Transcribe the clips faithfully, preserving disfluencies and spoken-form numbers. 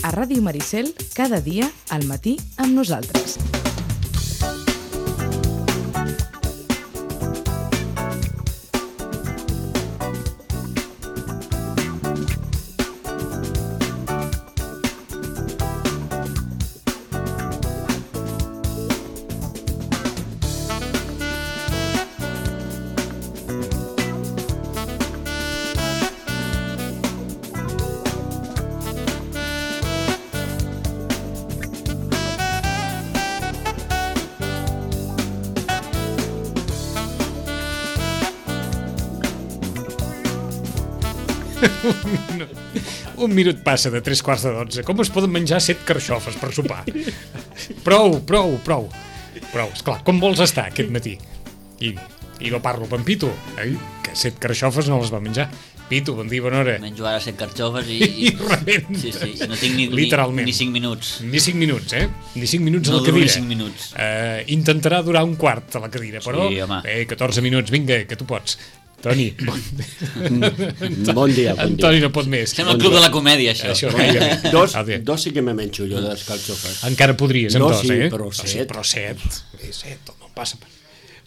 A Ràdio Maricel, cada dia, al matí, amb nosaltres. No. Un minut passa de tres quarts de dotze. Com es poden menjar set carxofes per sopar? Prou, prou, prou. Prou, esclar, com vols estar aquest matí? I, i no parlo amb en Pitu, eh? Que set carxofes no les va menjar. Pitu, bon dia, bona hora. Menjo ara set carxofes i... I rebent. Sí, sí, no tinc ni, literalment. Ni, ni cinc minuts. Ni cinc minuts, eh? Ni cinc minuts no a la cadira. No ni cinc minuts. Uh, intentarà durar un quart a la cadira, però... Sí, home. Eh, catorze minuts, vinga, que tu pots. Toni, bon, bon dia. Bon Antoni dia. no pot més. Sembla el club de la comèdia, això. Això gairebé. Dos, dos sí que me menjo jo de les carxofes. Encara podries, amb no, dos, sí, eh? però set. No, sí, però set. Eh, set, no passa.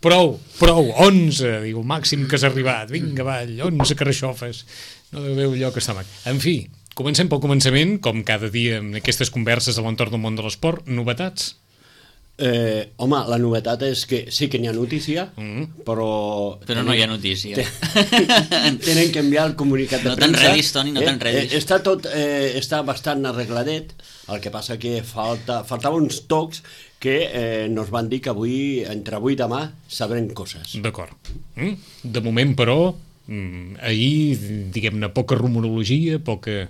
Prou, prou, onze, diu, el màxim que has arribat. Vinga, avall, onze carxofes. No deu veure allò que està mac. En fi, comencem pel començament, com cada dia en aquestes converses a l'entorn del món de l'esport. Novetats? Eh, home, la novetat és que sí que n'hi ha notícia, mm. però... Però no hi ha notícia. Tenen que enviar el comunicat de no premsa. No t'enredis, Toni, no eh, t'enredis. Eh, està tot, eh, està bastant arregladet, el que passa que falta, faltava uns tocs que eh, nos van dir que avui, entre avui i demà, sabrem coses. D'acord. Mm? De moment, però, mm, ahir, diguem-ne, poca rumorologia, poca...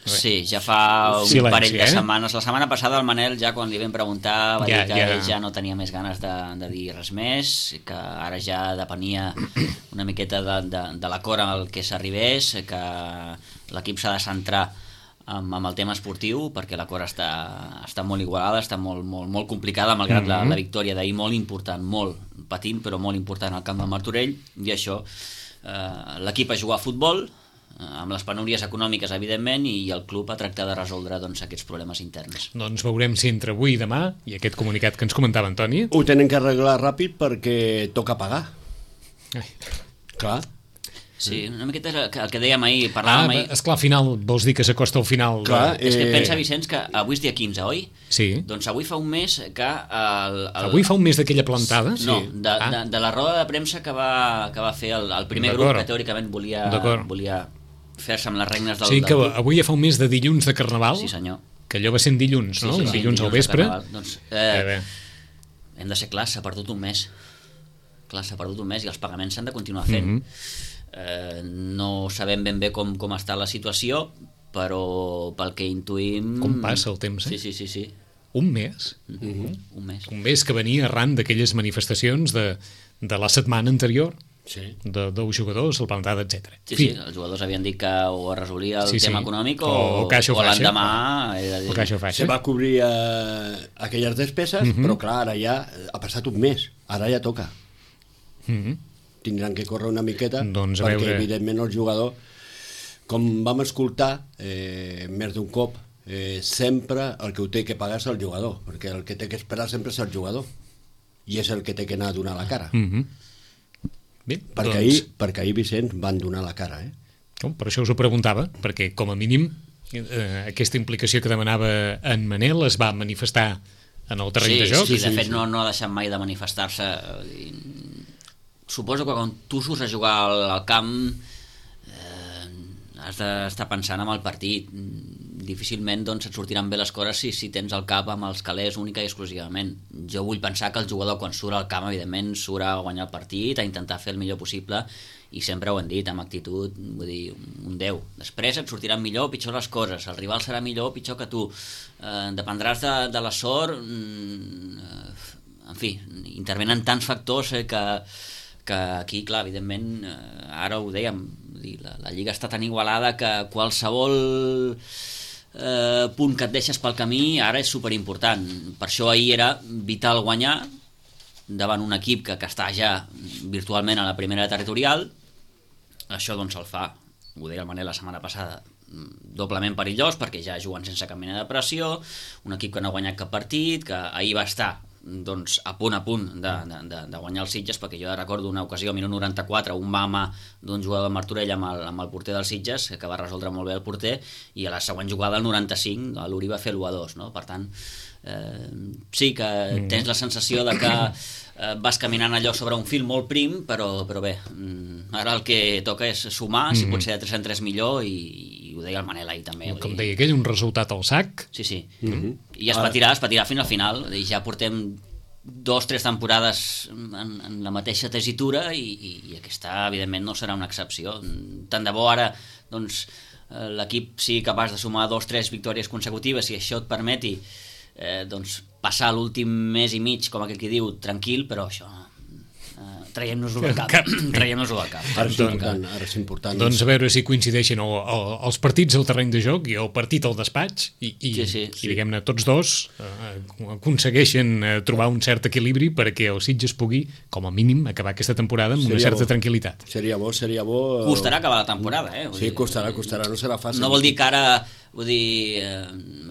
Sí, ja fa un Silenci, parell de eh? setmanes. La setmana passada el Manel, ja quan li vam preguntar, va ja, dir que ja. ell ja no tenia més ganes de, de dir res més, que ara ja depenia una miqueta de, de, de l'acord amb el que s'arribés, que l'equip s'ha de centrar amb, amb el tema esportiu, perquè l'acord està, està molt igualada, està molt, molt, molt complicada, malgrat mm -hmm. la, la victòria d'ahir, molt important, molt patint, però molt important al camp del Martorell, i això, eh, l'equip a jugar a futbol, amb les penúries econòmiques, evidentment, i el club a tractar de resoldre doncs, aquests problemes interns. Doncs veurem si entre avui i demà, i aquest comunicat que ens comentava Antoni... Ho tenen que arreglar ràpid perquè toca pagar. Ai. Clar. Sí, una miqueta el que, el que dèiem ahir, parlàvem ah, ahir... esclar, al final, vols dir que s'acosta al final... Clar, de... És que eh... pensa, Vicenç, que avui és dia quinze, oi? Sí. Doncs avui fa un mes que... El, el... Avui fa un mes d'aquella plantada? No, sí. de, ah. de, de la roda de premsa que va, que va fer el, el primer grup, que teòricament volia, volia fer-se amb les regnes del... Sí, que del avui ja fa un mes de dilluns de Carnaval. Sí, senyor. Que allò va ser en dilluns, no? Sí, sí, sí, dilluns, dilluns al vespre. Doncs, eh, hem de ser clars, s'ha perdut un mes. Clar, s'ha perdut un mes i els pagaments s'han de continuar fent. Mm -hmm. eh, no sabem ben bé com, com està la situació, però pel que intuïm... Com passa el temps, eh? Sí, sí, sí. sí. Un mes? Mm -hmm. Un mes. Un mes que venia arran d'aquelles manifestacions de, de la setmana anterior. Sí. De dos jugadors, el plantada, etcètera. Sí, sí, els jugadors havien dit que o es resolia el sí, tema sí. econòmic o, o, o, o l'endemà... O caixa faixa. Se va cobrir eh, aquelles despeses, mm -hmm. però clar, ara ja ha passat un mes, ara ja toca. Mm -hmm. Tindran que córrer una miqueta, doncs perquè veure... evidentment el jugador, com vam escoltar eh, més d'un cop, eh, sempre el que ho té que pagar és el jugador, perquè el que té que esperar sempre és el jugador, i és el que té que anar a donar la cara. Mm -hmm. Bé, perquè, doncs... ahir, perquè ahir, Vicenç, van donar la cara, eh? Oh, per això us ho preguntava, perquè com a mínim eh, aquesta implicació que demanava en Manel es va manifestar en el terreny sí, de joc. Sí, de fet sí. no, no ha deixat mai de manifestar-se. Suposo que quan tu surts a jugar al, al camp eh, has d'estar pensant en el partit. Difícilment doncs, et sortiran bé les coses si, si tens el cap amb els calés única i exclusivament. Jo vull pensar que el jugador quan surt al camp evidentment surt a guanyar el partit, a intentar fer el millor possible, i sempre ho hem dit, amb actitud, vull dir, un deu. Després et sortiran millor o pitjor les coses, el rival serà millor o pitjor que tu, eh, dependràs de, de la sort, eh, en fi, intervenen tants factors eh, que, que aquí, clar, evidentment, eh, ara ho dèiem, la, la lliga està tan igualada que qualsevol eh, punt que et deixes pel camí ara és superimportant. Per això ahir era vital guanyar davant un equip que, que està ja virtualment a la primera territorial. Això doncs el fa ho deia el Manel la setmana passada, doblement perillós perquè ja juguen sense cap mena de pressió, un equip que no ha guanyat cap partit, que ahir va estar doncs, a punt a punt de, de, de guanyar els Sitges, perquè jo recordo una ocasió a minut noranta-quatre, un mama d'un jugador de Martorell amb el, amb el porter dels Sitges, que va resoldre molt bé el porter, i a la següent jugada, al noranta-cinc, l'Uri va fer l'u a dos, no? Per tant, eh, sí que tens la sensació de que eh, vas caminant allò sobre un fil molt prim, però, però bé, ara el que toca és sumar, si pot ser de tres en tres millor, i, i ho deia el Manel ahir també. Com deia aquell, un resultat al sac. Sí, sí. Mm-hmm. I es patirà, es patirà fins al final. Ja portem dos, tres temporades en, en la mateixa tessitura i, i, i aquesta, evidentment, no serà una excepció. Tant de bo ara, doncs, l'equip sigui capaç de sumar dos, tres victòries consecutives, si això et permeti eh, doncs, passar l'últim mes i mig, com aquell que diu, tranquil, però això... traiem-nos-ho del cap, traiem-nos-ho del cap. Ara és important, ara és important. Doncs a veure si coincideixen el, el, els partits al terreny de joc i el partit al despatx i, i, sí, sí, i sí. diguem-ne, tots dos eh, aconsegueixen eh, trobar un cert equilibri perquè el Sitges pugui, com a mínim, acabar aquesta temporada amb seria una certa bo. tranquil·litat. Seria bo, seria bo... Costarà acabar la temporada, eh? Vull sí, dir, costarà, costarà, no serà fàcil. No vol dir que ara, vull dir, eh,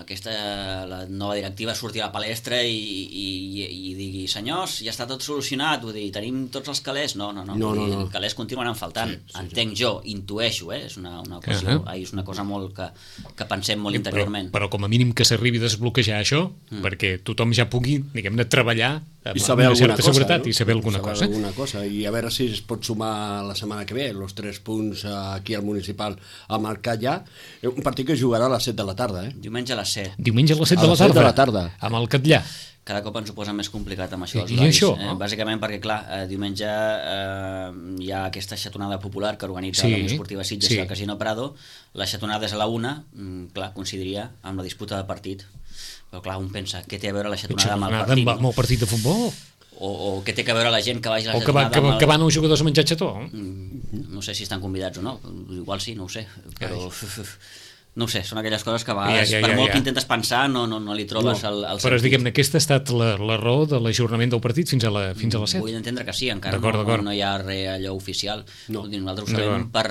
aquesta, la nova directiva surti a la palestra i, i, i, i digui, senyors, ja està tot solucionat, vull dir, tenim tots els calés. No, no, no, no, no, no. Els calés continuaran faltant. Sí, sí, entenc sí. jo, intueixo, eh? És una, una, cosa, uh -huh. és una cosa molt que, que pensem molt interiorment. Però, però com a mínim que s'arribi a desbloquejar això, mm. perquè tothom ja pugui, diguem-ne, treballar amb I saber una certa cosa, seguretat no? i saber alguna saber cosa. alguna cosa. I a veure si es pot sumar la setmana que ve, els tres punts aquí al municipal a marcar ja. Un partit que jugarà a les set de la tarda, eh? Diumenge a les set. Diumenge a les set, a de, la les set tarda, de la tarda. Amb el Catllà. Cada cop ens ho posa més complicat amb això. I, i això? Eh? Bàsicament perquè, clar, eh, diumenge eh, hi ha aquesta xatonada popular que organitza sí, la Unió Esportiva Sitges sí. i el Casino Prado. La xatonada és a la una, mm, clar, coincidiria amb la disputa del partit. Però, clar, un pensa, què té a veure la xatonada amb el partit? Amb, amb el partit de futbol? O, o què té a veure la gent que vagi a la o xatonada? O que, va, que, el... que van els jugadors a menjar xató? Mm, no sé si estan convidats o no. Igual sí, no ho sé. Però... No ho sé, són aquelles coses que a vegades, ja, ja, ja, per molt ja. que intentes pensar, no, no, no li trobes no. el, el sentit. Però diguem-ne, aquesta ha estat la, la raó de l'ajornament del partit fins a la, fins a les set? Vull entendre que sí, encara no, no, no hi ha res allò oficial. No. Nosaltres ho sabem per,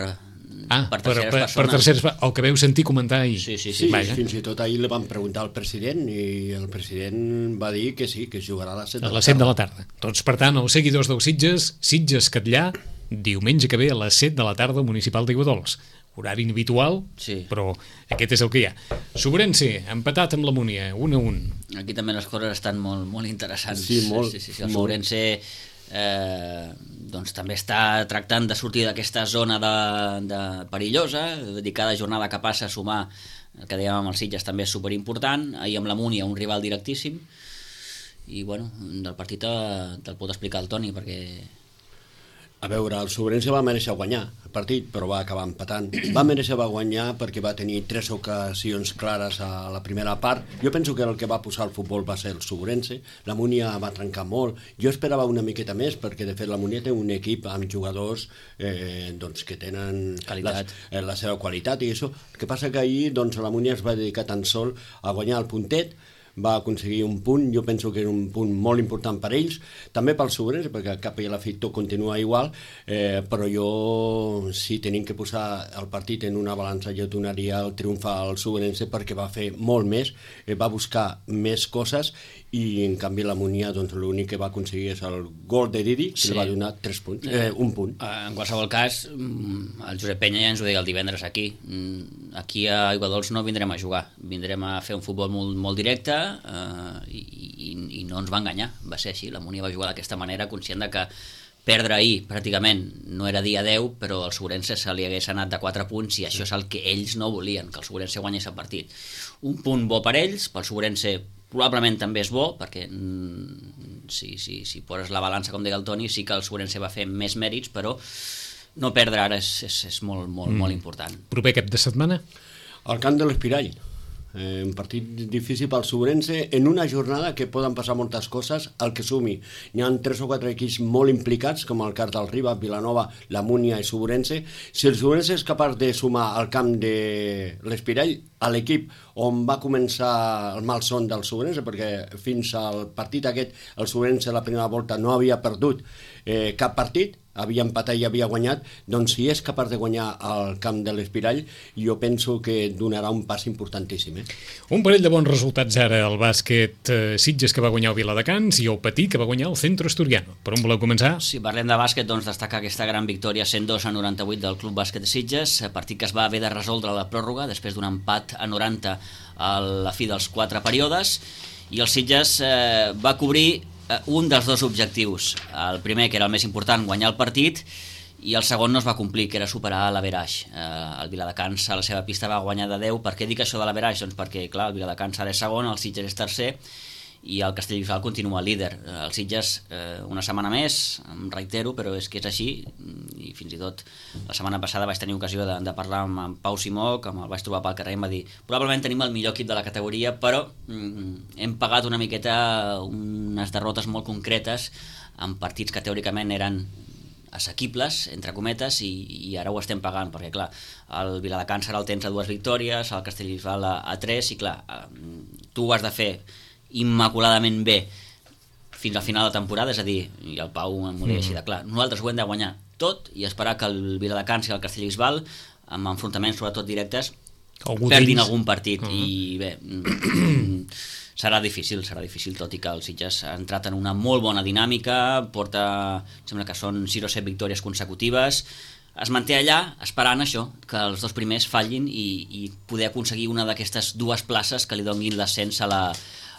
ah, per terceres per, persones. Per terceres, el que veu sentir comentar ahir. Sí, sí, sí. sí fins i tot ahir li van preguntar al president i el president va dir que sí, que es jugarà a les set de la tarda. A les set de la tarda. Doncs, per tant, els seguidors del Sitges, Sitges Catllà, diumenge que ve a les set de la tarda al municipal d'Aiguadols. Horari inhabitual, sí. però aquest és el que hi ha. Sobrense, empatat amb la Múnia, un a un. Aquí també les coses estan molt, molt interessants. Sí, molt. Sí, sí, sí. El Sobrense eh, doncs, també està tractant de sortir d'aquesta zona de, de perillosa, de cada jornada que passa a sumar, el que dèiem amb els Sitges també és superimportant. Ahir amb la Múnia, un rival directíssim, i bueno, del partit te'l pot explicar el Toni, perquè... A veure, el Sobrense va mereixer guanyar el partit, però va acabar empatant. Va mereixer va guanyar perquè va tenir tres ocasions clares a la primera part. Jo penso que el que va posar el futbol va ser el Sobrense. La Múnia va trencar molt. Jo esperava una miqueta més, perquè de fet la Múnia té un equip amb jugadors eh, doncs, que tenen qualitat. La, la seva qualitat i això. El que passa que ahir doncs, la Múnia es va dedicar tan sol a guanyar el puntet, va aconseguir un punt, jo penso que era un punt molt important per ells, també pel Sobrense, perquè al cap i a la fi tot continua igual, eh, però jo, si tenim que posar el partit en una balança, jo donaria el triomf al Sobrense perquè va fer molt més, eh, va buscar més coses, i en canvi la Múnia, doncs l'únic que va aconseguir és el gol de Didi, que sí. li va donar tres punts, eh, un punt. En qualsevol cas, el Josep Penya ja ens ho deia el divendres aquí, aquí a Aiguadols no vindrem a jugar, vindrem a fer un futbol molt, molt directe, Uh, i, i, i no ens va enganyar, va ser així. La Múnia va jugar d'aquesta manera, conscient de que perdre ahir pràcticament no era dia deu, però al Sobrense se li hagués anat de quatre punts i això és el que ells no volien, que el Sobrense guanyés el partit. Un punt bo per ells, pel Sobrense probablement també és bo, perquè mm, si, si, si poses la balança, com deia el Toni, sí que el Sobrense va fer més mèrits, però no perdre ara és, és, és molt, molt, mm. molt important. Proper cap de setmana? Al camp de l'Espirall. Eh, un partit difícil pel Sobrense en una jornada que poden passar moltes coses al que sumi. N'hi ha tres o quatre equips molt implicats, com el cas del Riba, Vilanova, la Múnia i Sobrense. Si el Sobrense és capaç de sumar al camp de l'Espirall, a l'equip on va començar el malson del Sobrense, perquè fins al partit aquest el Sobrense la primera volta no havia perdut eh, cap partit, havia empatat i havia guanyat, doncs si és capaç de guanyar al camp de l'Espirall, jo penso que donarà un pas importantíssim. Eh? Un parell de bons resultats ara al bàsquet eh, Sitges, que va guanyar el Viladecans, i el Patí, que va guanyar el Centro Asturiano. Per on voleu començar? Si parlem de bàsquet, doncs destacar aquesta gran victòria cent dos a noranta-vuit del Club Bàsquet de Sitges, partit que es va haver de resoldre a la pròrroga després d'un empat a noranta a la fi dels quatre períodes, i el Sitges eh, va cobrir eh, un dels dos objectius. El primer, que era el més important, guanyar el partit, i el segon no es va complir, que era superar l'Averaix. Eh, el Viladecans a la seva pista va guanyar de deu. Per què dic això de l'Averaix? Doncs perquè, clar, el Viladecans ara és segon, el Sitges és tercer, i el Castellbisbal continua líder. El Sitges eh, una setmana més, em reitero, però és que és així, i fins i tot la setmana passada vaig tenir ocasió de, de parlar amb en Pau Simó, que me'l vaig trobar pel carrer i em va dir probablement tenim el millor equip de la categoria, però mm, hem pagat una miqueta unes derrotes molt concretes en partits que teòricament eren assequibles, entre cometes, i, i ara ho estem pagant, perquè clar, el Viladecans ara el tens a dues victòries, el Castellbisbal a, a tres, i clar, tu ho has de fer immaculadament bé fins al final de temporada, és a dir, i el Pau m'ho deia així de clar, nosaltres ho hem de guanyar tot i esperar que el Viladecans i el Castellbisbal, amb enfrontaments sobretot directes, algú perdin tens? algun partit. Uh -huh. I bé, serà difícil, serà difícil, tot i que el Sitges ha entrat en una molt bona dinàmica, porta, sembla que són sis o set victòries consecutives, es manté allà esperant això, que els dos primers fallin i, i poder aconseguir una d'aquestes dues places que li donin l'ascens a la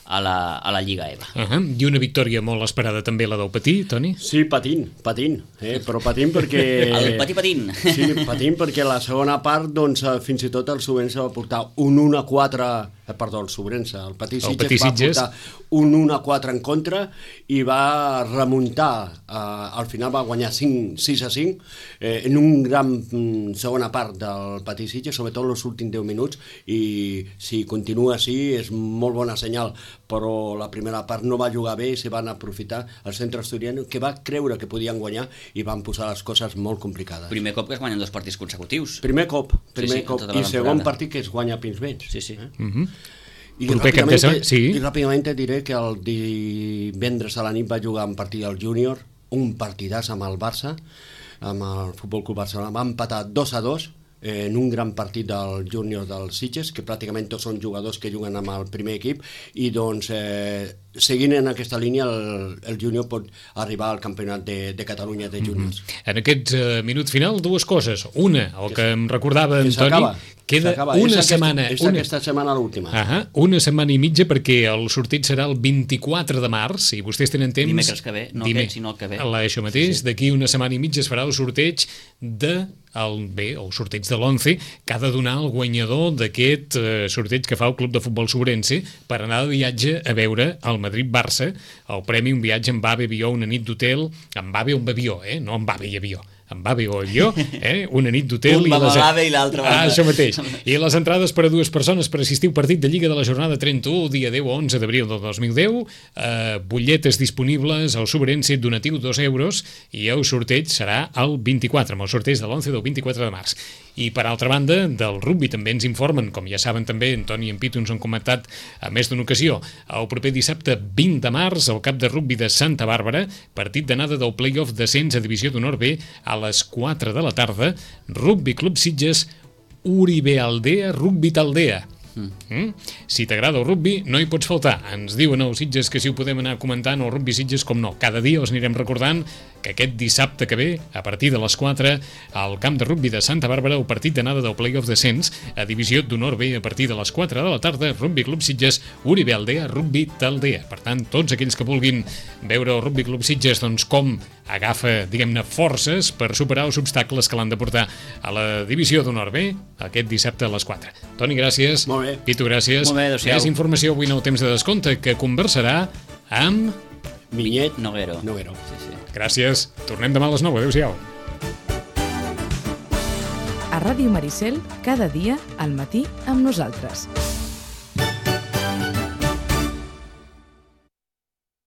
a la, a la Lliga E V A. Uh-huh. I una victòria molt esperada també, la del Patí, Toni? Sí, patint, patint, eh? però patint perquè... El Patí patint. Sí, patint perquè la segona part, doncs, fins i tot el Sobrense va portar un un a quatre, eh, perdó, el Sobrense, el Patí Sitges, el Patí Sitges va portar un un a quatre en contra i va remuntar, eh, al final va guanyar cinc, sis a cinc, eh, en un gran mm, segona part del Patí Sitges, sobretot els últims deu minuts, i si continua així és molt bona senyal, però la primera part no va jugar bé i se van aprofitar el Centre Asturiano, que va creure que podien guanyar i van posar les coses molt complicades. Primer cop que es guanyen dos partits consecutius. Primer cop, primer sí, sí, cop, i segon partit que es guanya pins vents. Sí, sí. Eh? Uh-huh. I, ràpidament, sí. I ràpidament te diré que el divendres a la nit va jugar un partit al Júnior, un partidàs amb el Barça, amb el Futbol Club Barcelona, va empatar dos a dos, en un gran partit del Júnior del Sitges, que pràcticament tots són jugadors que juguen amb el primer equip, i doncs eh, seguint en aquesta línia el, el Júnior pot arribar al campionat de, de Catalunya de Júniors. Mm-hmm. En aquest uh, minut final, dues coses. Una, el que, que em recordava en Toni, queda una és setmana... És una... aquesta setmana l'última. Uh -huh, una setmana i mitja, perquè el sorteig serà el vint-i-quatre de març, i vostès tenen temps... Dimecres que ve, no Dime... aquest, sinó el que ve. Això mateix, sí, sí. D'aquí una setmana i mitja es farà el sorteig de... El, bé, el sorteig de l'onze, que ha de donar el guanyador d'aquest eh, sorteig que fa el Club de Futbol Sobrense per anar de viatge a veure el Madrid-Barça, el premi, un viatge amb AVE, avió, una nit d'hotel, amb AVE o amb avió, eh? No amb AVE i avió, amb AVE o avió, eh? Una nit d'hotel. Un va amb l'AVE i l'altre va. Ah, això mateix. I les entrades per a dues persones per assistir al partit de Lliga de la jornada trenta-u, dia deu a onze d'abril del dos mil deu, eh, butlletes disponibles al Sobrense, donatiu dos euros, i el sorteig serà el vint-i-quatre, amb el sorteig de l'onze del vint-i-quatre de març. I per altra banda, del rugbi també ens informen, com ja saben també, en Toni i en Pitu ens han comentat a més d'una ocasió, el proper dissabte vint de març, al camp de rugbi de Santa Bàrbara, partit d'anada del play-off descens a Divisió d'Honor B a les quatre de la tarda, Rugbi Club Sitges, Uribe Aldea, Rugbi Taldea. Mm. Mm? Si t'agrada el rugbi, no hi pots faltar. Ens diuen els Sitges que si ho podem anar comentant, el rugbi Sitges, com no, cada dia els anirem recordant que aquest dissabte que ve, a partir de les quatre, al camp de rugbi de Santa Bàrbara, el partit d'anada del play-off descens a Divisió d'Honor B a partir de les quatre de la tarda, Rugbi Club Sitges, Uribe Aldea, Rugbi Taldea. Per tant, tots aquells que vulguin veure el Rugbi Club Sitges, doncs com agafa, diguem-ne, forces per superar els obstacles que l'han de portar a la Divisió d'Honor B aquest dissabte a les quatre. Toni, gràcies. Molt bé. Pitu, gràcies. Molt bé, adéu-siau. Més informació avui en el temps de descompte, que conversarà amb... Vinyet Noguero. Noguero. Sí, sí. Gràcies. Tornem demà a les nou. Adéu-siau. A Ràdio Maricel, cada dia al matí amb nosaltres.